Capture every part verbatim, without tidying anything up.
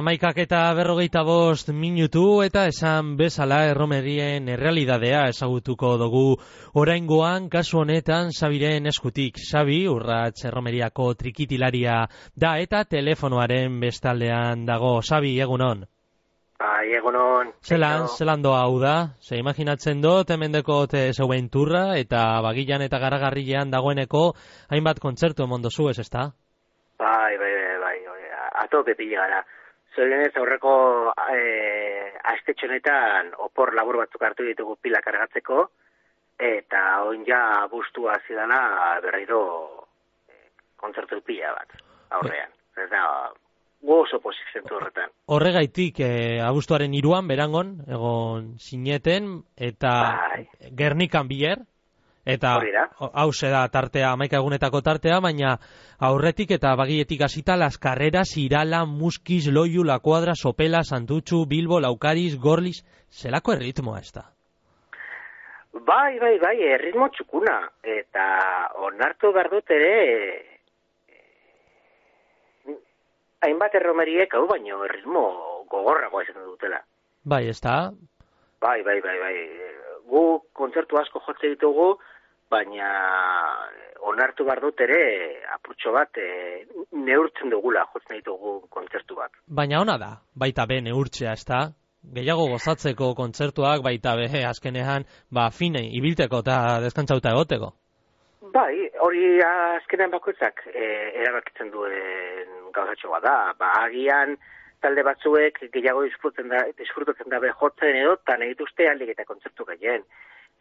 Amaikak eta berrogeita bost minutu eta esan bezala erromerien errealidadea ezagutuko dugu oraingoan kasu honetan Xabiren eskutik. Xabi, Urrats erromeriako trikitilaria da eta telefonoaren bestaldean dago. Xabi, egunon. Bai, egunon. Zelan, zelan doa hau da? Ze imaginatzen dut, hemendeko te zeuen turra eta bagilan eta garagarrilean dagoeneko hainbat kontzertu emon dozu, ez ezta? Bai, bai, bai, bai, atope pila gara. Zorionez aurreko e, astetxo honetan opor labur batzuk hartu ditugu pila kargatzeko, eta oin ja bustua zidana berriro e, kontzertu pila bat aurrean. Ez da, gu oso posiziontu horretan. Horregaitik, e, abuztuaren hiruan berangon, egon sineten, eta bai. Gernikan biler, eta hau da tartea, amaika egunetako tartea, baina aurretik eta bagietik hasita las carreras, Irala, Muskiz, Loiu, La Cuadra, Sopela, Santutxu, Bilbo, Laukariz, Gorliz, zelako erritmoa ez da? Bai, bai, bai, erritmo txukuna, eta onartu behar dut ere, e, hainbat erromeriek hau baino erritmo gogorragoa izaten dutela. Bai, ez da? Bai, bai, bai, bai, gu kontzertu asko jotze ditugu, baina onartu behar dut ere apurtxo bat e, neurtzen dugula jotzen ditugu kontzertu bat. Baina ona da, baita be neurtzea, ez da? Gehiago gozatzeko kontzertuak baita be azkenean, ba, fine, ibilteko eta deskantzauta egoteko. Bai, hori azkenean bakoitzak e, erabakitzen duen gauzatxo bat da, ba, agian talde batzuek gehiago disfrutatzen dabe jotzen edo, eta nahi dituzte aldik eta kontzertu gehien.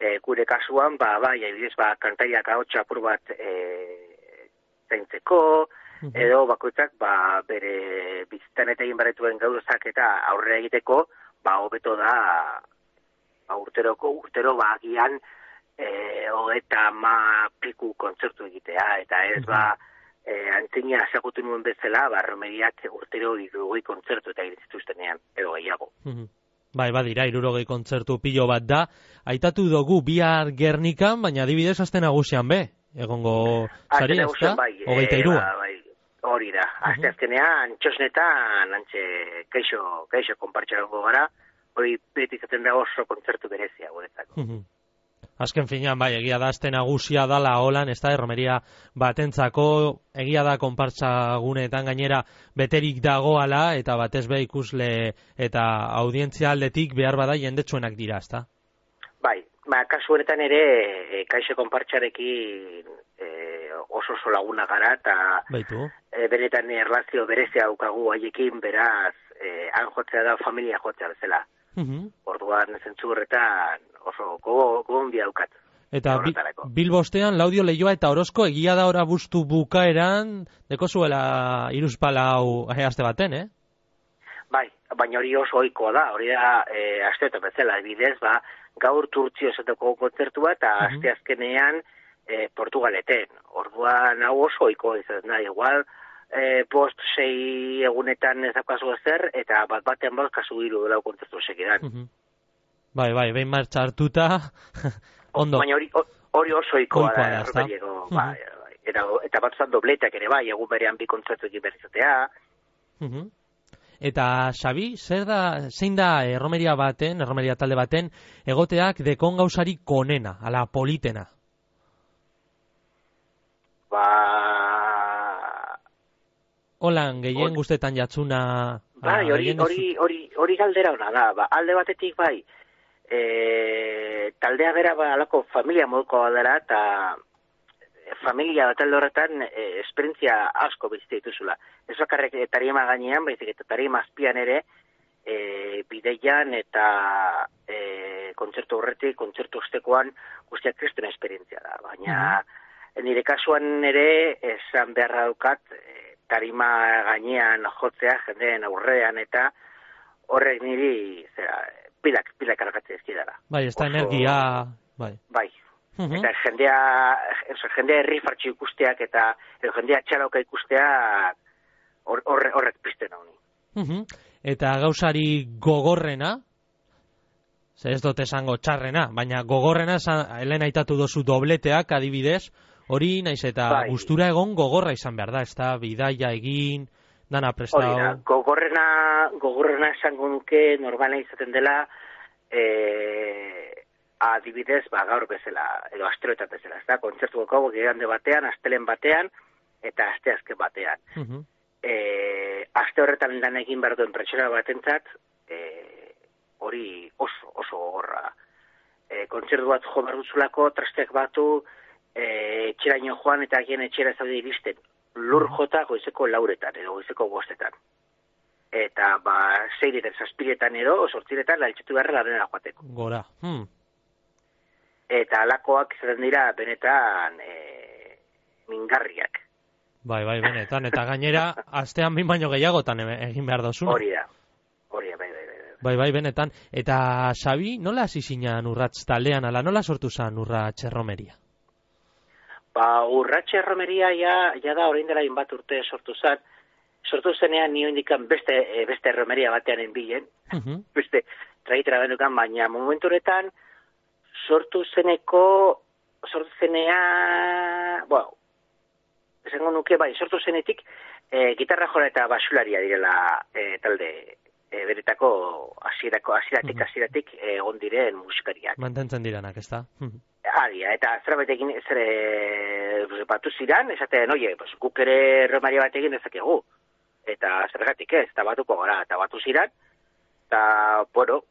E, gure kasuan, ba, bai, adibidez, ba, kantariak ahotsa apur bat e, zaintzeko, edo bakoitzak, ba, bere bizitan eta egin baretuen gauzak eta aurrera egiteko, ba, hobeto da, ba, urteroko, urtero, ba, agian, e, hogeta ma piku kontzertu egitea, eta ez, ba, e, antzina asagutu nuen bezala, ba, romeriak urtero irurogei kontzertu eta egituztenean, edo gehiago. Bai, badira, irurogei kontzertu pilo bat da. Aitatu dugu bihar Gernikan, baina adibidez aste nagusian be. Egongo sari, ez da? Bai, hogeita hirua. E, bai, hori da. Aste azkenean, txosnetan, antxe, keixo, keixo konpartxarango gara, hori beti izaten da oso kontzertu berezia, guretzako. Azken finean, bai, egia da aste nagusia dala holan, ez da, erromeria batentzako, egia da konpartsaguneetan gainera beterik dagoala, eta batez be ikusle eta audientzia aldetik behar bada jendetsuenak dira, ez da? Bai, ba, kasu honetan ere, e, kaixo konpartxarekin e, oso oso laguna gara, eta e, benetan erlazio berezia daukagu haiekin, beraz, e, han jotzea da familia jotzea bezala. Uh-huh. Orduan zentzu horretan oso gogondi daukat. Eta bi, Bilbostean, Laudio Leioa eta Orozko egia da ora bustu bukaeran deko zuela iruzpala hau aste baten, eh? Bai, baina hori oso ohikoa da, hori da e, aste eta bezala, bidez, ba, gaur Turtzio esateko kontzertua eta uh-huh. aste azkenean e, Portugaleten. Orduan hau oso ohikoa izan da, igual E, post sei egunetan ez daukazu ezer, eta bat batean bat kasu hiru dela kontzertu segidan. Uh-huh. Bai, bai, behin martxa hartuta, ondo. Baina hori, hori oso ikoa da, erroberiego, uh-huh. bai, bai. Eta, eta bat zan dobletak ere bai, egun berean bi kontzertu egin berrizatea. Uh-huh. Eta, Xabi, zer da, zein da erromeria baten, erromeria talde baten, egoteak dekon gauzari konena, ala politena? Ba... Holan, gehien guztetan jatzuna... Bai, hori, hori, hori, hori galdera hona da, ba, alde batetik bai, e, taldea bera ba, alako familia moduko dela, eta familia bat alde horretan e, esperientzia asko bizite dituzula. Ez bakarrek tarima gainean, baizik eta tarima azpian ere, e, bideian eta e, kontzertu horretik, kontzertu ostekoan guztiak kristuen esperientzia da. Baina uh-huh. nire kasuan ere, esan beharra daukat, e, tarima gainean jotzea jendeen aurrean eta horrek niri zera, pilak, pilak kargatzea ezkidara. Bai, ez da energia... Bai. Bai. Uh-huh. Eta jendea, jendea herri fartxu ikusteak eta jendea txalauka ikusteak horrek horre, pizten hau ni. Uh-huh. Eta gauzari gogorrena, ze ez dut esango txarrena, baina gogorrena, helen aitatu dozu dobleteak adibidez, hori naiz eta bai. Gustura egon gogorra izan behar da, ez da bidaia egin, Dana prestau. Hori da, gogorrena, gogorrena esango nuke normala izaten dela, e, adibidez, ba, gaur bezala, edo asteroetan bezala, ez da, kontzertu goko gigande batean, astelen batean, eta aste azken batean. Uh -huh. e, aste horretan lan egin behar duen pertsona batentzat, e, hori oso, oso gogorra. E, kontzertu bat jo behar duzulako, trasteak batu, e, etxeraino joan eta agien etxera zaude iristen. Lur jota goizeko lauretan, edo goizeko bostetan. Eta, ba, seiretan, zazpiretan edo, sortziretan, laltxetu beharra lanera joateko. Gora. Hmm. Eta alakoak izaten dira, benetan, e, mingarriak. Bai, bai, benetan. Eta gainera, astean bin baino gehiagotan egin behar dozuna. Hori da. Hori da, bai, bai, bai. Bai, bai, benetan. Eta, Xabi, nola hasi zinan urratz taldean, ala nola sortu zan urratz erromeria? Ba, urratxe erromeria ja, ja da orain dela inbat urte sortu zen. Sortu zenean nio indikan beste, beste erromeria batean enbilen. Uh -huh. Beste traitera benukan, baina momentu horretan sortu zeneko, sortu zenea, bueno, esango nuke, bai, sortu zenetik e, gitarra jora eta basularia direla e, talde e, beretako hasierako hasieratik hasieratik egon diren musikariak. Mantentzen diranak, ez da? Aria, eta zerabatekin zer batu ziran, esaten, oie, pues, guk ere erromaria bat egin dezakegu. Eta zergatik ez, eta batuko gara, eta batu ziran, eta, bueno,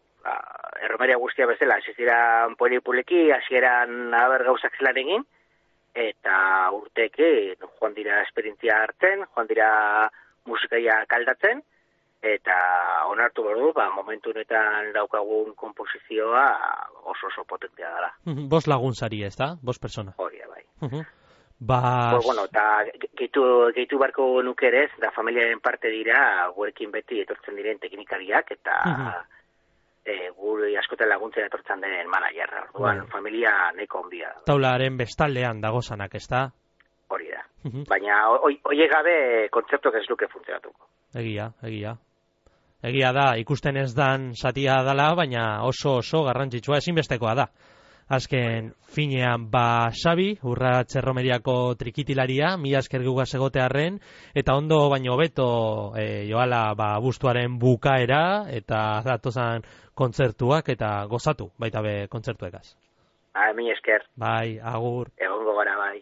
erromaria guztia bezala, hasi ziran polipuleki, hasi eran haber gauzak zelan egin, eta urteke joan dira esperientzia hartzen, joan dira musikaia kaldatzen, eta onartu behar du, ba, momentu honetan daukagun komposizioa oso oso potentea dela. Bos laguntzari, ez da? Bos persona. Hori, bai. Uh-huh. Ba... Pues, bueno, eta gehitu, gehitu barko nukerez, da familiaren parte dira, gurekin beti etortzen diren teknikariak, eta uh-huh. e, gure askotan laguntzen etortzen den managerra. Orduan, uh-huh. familia neko ondia. Taularen bestaldean dagozanak, ez da? Hori da. Uh-huh. Baina, oie gabe, kontzeptuak ez luke funtzionatuko. Egia, egia. Egia da, ikusten ez dan satia dala, baina oso oso garrantzitsua ezinbestekoa da. Azken finean, ba, Xabi, urratz erromeriako trikitilaria, mila esker gugaz egotearren, eta ondo baino beto e, joala ba, abuztuaren bukaera, eta datozan kontzertuak, eta gozatu, baita be kontzertuekaz. Bai, mila esker. Bai, agur. Egongo gara, bai.